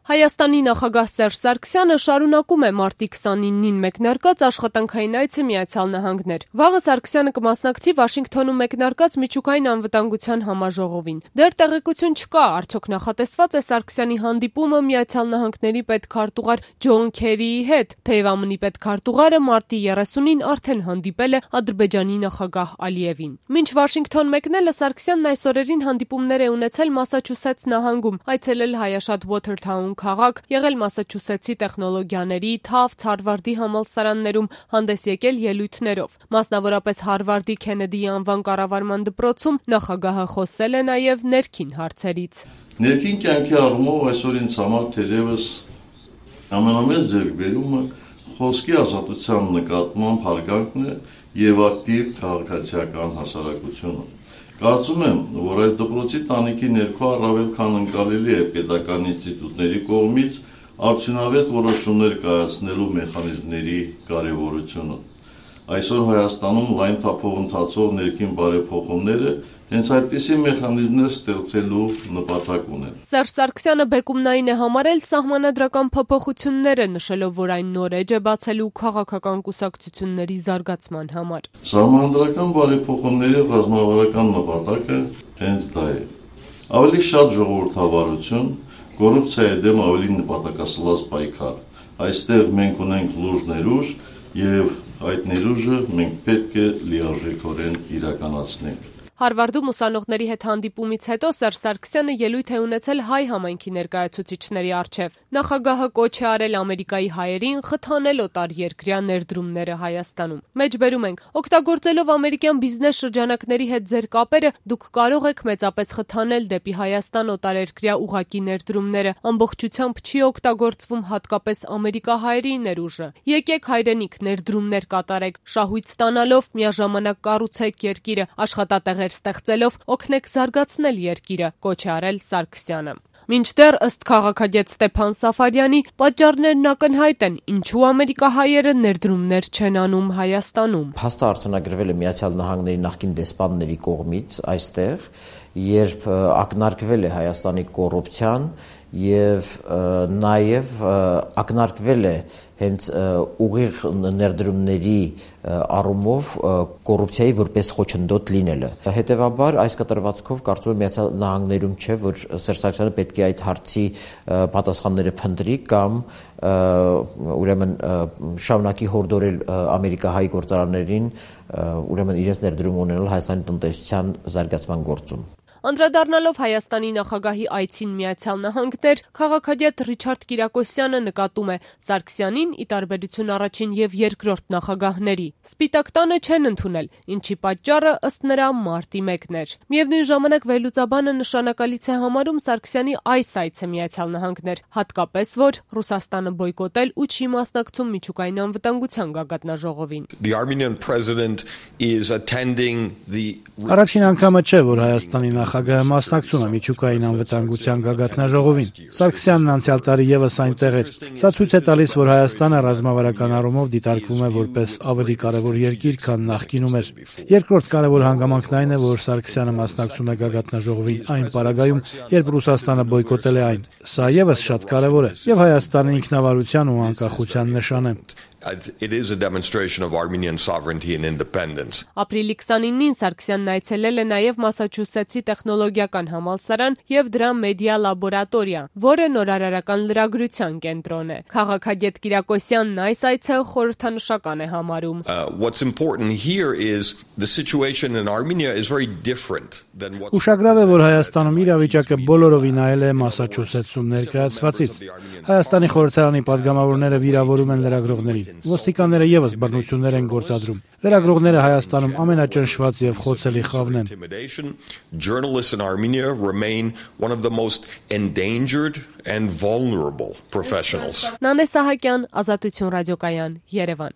Հայաստանի նախագահ Սերժ Սարգսյանը շարունակում է մարտի 29-ին մեկնարկած աշխատանքային այցը Միացյալ Նահանգներ։ Վաղը Սարգսյանը կմասնակցի Վաշինգթոնում մեկնարկած միջուկային անվտանգության համաժողովին։ Դեռ տեղեկություն չկա, արդյոք նախատեսված է Սարգսյանի հանդիպումը Միացյալ Նահանգների պետքարտուղար Ջոն Քերիի հետ, թեև ԱՄՆ-ի պետքարտուղարը մարտի 30-ին արդեն հանդիպել է Ադրբեջանի նախագահ Ալիևին։ Մինչ Վաշինգթոն մեկնելը Սարգսյանն այս օրերին հանդիպումներ է ունեցել Մասաչուսեթս նահանգում, այցելել հայաշատ Ուոթերթաուն քաղաք, եղել Մասաչուսեթսի տեխնոլոգիաների, Թավթս, Հարվարդի համալսարաններում, հանդես եկել ելույթներով։ Մասնավորապես Հարվարդի Քենեդիի անվան կառավարման դպրոցում նախագահը խոսել է նաև ներքին հարցերից։ Ներքին կյանքի առումով այսօր ինձ համար թերևս ամենամեծ ձեռքբերումը խոսքի ազատության նկատմամբ հարգանքն է եւ ակտիվ քաղաքացիական հասարակությունը։ Կարծում եմ, որ այս դպրոցի տանիքի ներքո առավել քան ընկալելի է պետական ինստիտուտների կողմից արդյունավետ որոշումներ կայացնելու մեխանիզմների կարևորությունը։ Այսօր Հայաստանում լայն թափով ընթացող ներքին բարեփոխումները հենց այդպիսի մեխանիզմներ ստեղծելու նպատակ ունեն։ Սերժ Սարգսյանը բեկումնային է համարել սահմանադրական փոփոխությունները, նշելով, որ այն նոր էջ է բացելու քաղաքական կուսակցությունների զարգացման համար։ Սահմանադրական բարեփոխումների ռազմավարական նպատակը հենց դա է։ Ավելի շատ ժողովրդավարություն, կոռուպցիայի դեմ ավելի նպատակասլաց պայքար։ Այստեղ մենք ունենք լուրջ ներուժ եւ այդ ներուժը մենք պետք է լիարժեքորեն իրականացնենք։ Հարվարդում ուսանողների հետ հանդիպումից հետո Սերժ Սարգսյանը ելույթ է ունեցել հայ համայնքի ներկայացուցիչների առջև։ Նախագահը կոչ է արել Ամերիկայի հայերին խթանել օտարերկրյա ներդրումները Հայաստանում։ Մեջբերում ենք, օգտագործելով ամերիկյան բիզնես շրջանակների հետ ձեր կապերը, դուք կարող եք մեծապես խթանել դեպի Հայաստան օտարերկրյա ուղղակի ներդրումները, ամբողջությամբ չի օգտագործվում հատկապես ամերիկահայերի ներուժը։ Եկեք հայրենիք, ներդրումներ կատարեք, շահույթ ստանալով միաժամանակ կառուցեք երկիրը, աշխատատեղեր ստեղծելով օգնեք զարգացնել երկիրը, կոչ է արել Սարգսյանը։ Մինչդեռ ըստ քաղաքագետ Ստեփան Սաֆարյանի պատճառներն ակնհայտ են, ինչու ամերիկահայերը ներդրումներ չեն անում Հայաստանում։ Փաստը արձանագրվել է Միացյալ Նահանգների նախկին դեսպանների կողմից այստեղ, երբ ակնարկվել է Հայաստանի կոռուպցիան եւ նաեւ ակնարկվել է հենց ուղիղ ներդրումների առումով կոռուպցիայի որպես խոչընդոտ լինելը։ Հետևաբար այս կտրվածքով կարծում եմ Միացյալ Նահանգներում չէ, որ Սերժ Սարգսյանը պետք է այդ հարցի պատասխանները փնտրի կամ ուրեմն շարունակի հորդորել ամերիկահայ գործարաններին ուրեմն իրենց ներդրում ունենալ Հայաստանի տնտեսության զարգացման գործում։ Անդրադառնալով Հայաստանի նախագահի այցին Միացյալ Նահանգներ, քաղաքագետ Ռիչարդ Կիրակոսյանը նկատում է Սարգսյանին ի տարբերություն առաջին եւ երկրորդ նախագահների Սպիտակ տանը չեն ընդունել, ինչի պատճառը ըստ նրա մարտի 1-ն էր։ Միևնույն ժամանակ վերլուծաբանը նշանակալից է համարում Սարգսյանի այս այցը Միացյալ Նահանգներ, հատկապես որ Ռուսաստանը բոյկոտել ու չի մասնակցում միջուկային անվտանգության գագաթնաժողովին։ Առաջին անգամը չէ, որ Հայաստանի նախագահը մասնակցում է միջուկային անվտանգության գագաթնաժողովին։ Սարգսյանն անցյալ տարի եւս այնտեղ էր։ Սա ցույց է տալիս, որ Հայաստանը ռազմավարական առումով դիտարկվում է որպես ավելի կարևոր երկիր, քան նախկինում էր։ Երկրորդ կարևոր հանգամանքն այն է, որ Սարգսյանը մասնակցում է գագաթնաժողովին այն պարագայում, երբ Ռուսաստանը բոյկոտել է այն։ Սա եւս շատ կարևոր է եւ Հայաստանի ինքնավարության ու անկախության նշան է։ It is a demonstration of Armenian sovereignty and independence. Ապրիլի 29-ին Սարգսյանն այցելել է նաև Մասաչուսեթսի տեխնոլոգիական համալսարան եւ դրա մեդիա լաբորատորիա, որը նորարարական լրագրության կենտրոն է։ Քաղաքագետ Կիրակոսյանն այս այցը խորհրդանշական է համարում։ What's important here is the situation in Armenia is very different than what Ուշագրավ է, որ Հայաստանում իրավիճակը բոլորովին այլ է Մասաչուսեթսում ներկայացվածից։ Հայաստանի խորհրդարանի падգամավորները վիրավորում են լրագրողներին։ Ոստիկանները եւս բռնություններ են գործադրում։ Լրագրողները Հայաստանում ամենաճնշված եւ խոցելի խավն են։ Journalists in Armenia remain one of the most endangered and vulnerable professionals. Նանե Սահակյան, Ազատություն ռադիոկայան, Երևան։